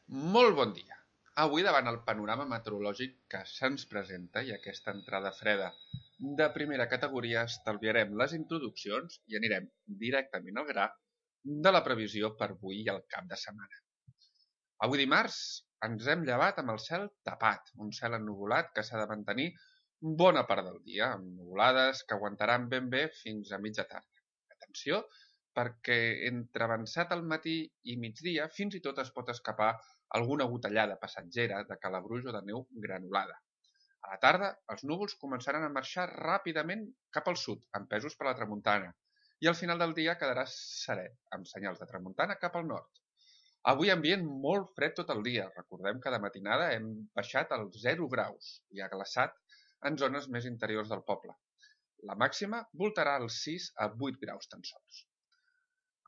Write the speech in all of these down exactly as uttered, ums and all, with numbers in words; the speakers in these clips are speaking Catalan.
Molt bon dia. Avui, davant el panorama meteorològic que se'ns presenta i aquesta entrada freda de primera categoria, estalviarem les introduccions i anirem directament al gra de la previsió per avui i el cap de setmana. Avui dimarts ens hem llevat amb el cel tapat, un cel ennuvolat que s'ha de mantenir bona part del dia, amb nuvolades que aguantaran ben bé fins a mitja tarda. Atenció, perquè entre avançat al matí i migdia fins i tot es pot escapar alguna gotellada passatgera de calabruix o de neu granulada. A la tarda, els núvols començaran a marxar ràpidament cap al sud, empesos per la tramuntana, i al final del dia quedarà serè, amb senyals de tramuntana cap al nord. Avui ambient molt fred tot el dia. Recordem que de matinada hem baixat als zero graus i ha glaçat en zones més interiors del poble. La màxima voltarà als sis a vuit graus tan sols.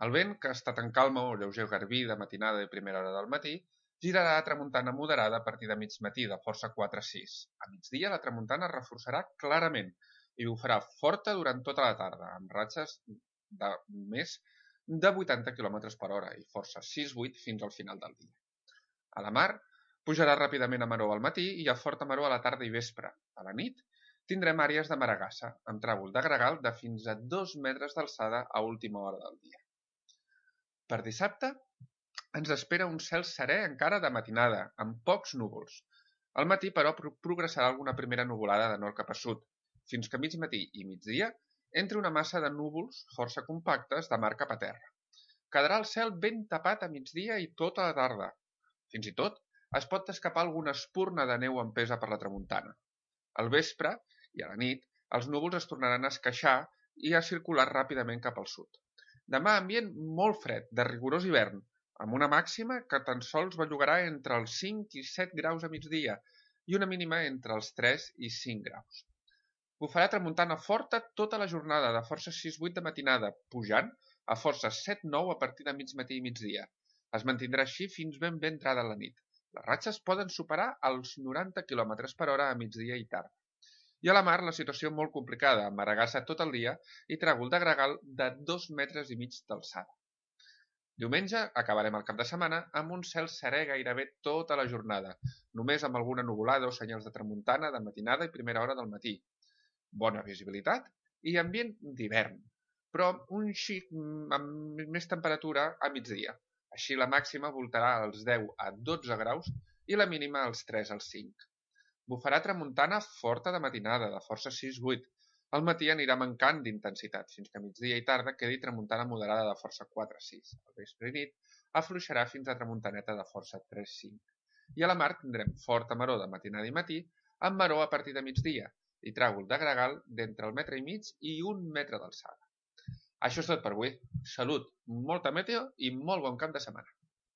El vent, que ha estat en calma o lleuger garbí de matinada i primera hora del matí, girarà a tramuntana moderada a partir de mig matí, de força quatre a sis. A migdia la tramuntana es reforçarà clarament i bufarà forta durant tota la tarda, amb ratxes de més de vuitanta quilòmetres per hora i força sis a vuit fins al final del dia. A la mar, pujarà ràpidament a maró al matí i a forta maró a la tarda i vespre. A la nit, tindrem àrees de maragassa, amb tràvol de gregal de fins a dos metres d'alçada a última hora del dia. Per dissabte, ens espera un cel serè encara de matinada, amb pocs núvols. Al matí, però, progressarà alguna primera nuvolada de nord cap a sud, fins que a mig matí i migdia entri una massa de núvols força compactes de mar cap a terra. Quedarà el cel ben tapat a migdia i tota la tarda. Fins i tot, es pot escapar alguna espurna de neu empesa per la tramuntana. Al vespre i a la nit, els núvols es tornaran a esqueixar i a circular ràpidament cap al sud. Demà ambient molt fred, de rigorós hivern, amb una màxima que tan sols bellugarà entre els cinc i set graus a migdia i una mínima entre els tres i cinc graus. Bufarà tramuntana forta tota la jornada, de força sis a vuit de matinada, pujant a força set a nou a partir de mig matí i migdia. Es mantindrà així fins ben bé entrada la nit. Les ratxes poden superar els noranta quilòmetres per hora a migdia i tarda. I a la mar la situació molt complicada, amb maragassa tot el dia i tràgol de gregal de dos metres i mig d'alçada. Diumenge acabarem el cap de setmana amb un cel serè gairebé tota la jornada, només amb alguna nuvolada o senyals de tramuntana de matinada i primera hora del matí. Bona visibilitat i ambient d'hivern, però un xic amb més temperatura a migdia. Així la màxima voltarà als deu a dotze graus i la mínima als tres als cinc. Bufarà tramuntana forta de matinada, de força sis a vuit. Al matí anirà mancant d'intensitat, fins que a migdia i tarda quedi tramuntana moderada de força quatre a sis. Al vespre i nit afluixarà fins a tramuntaneta de força tres a cinc. I a la mar tindrem forta maró de matinada i matí, amb maró a partir de migdia, i tràgol de gregal d'entre el metre i mig i un metre d'alçada. Això és tot per avui. Salut, molta meteo i molt bon cap de setmana.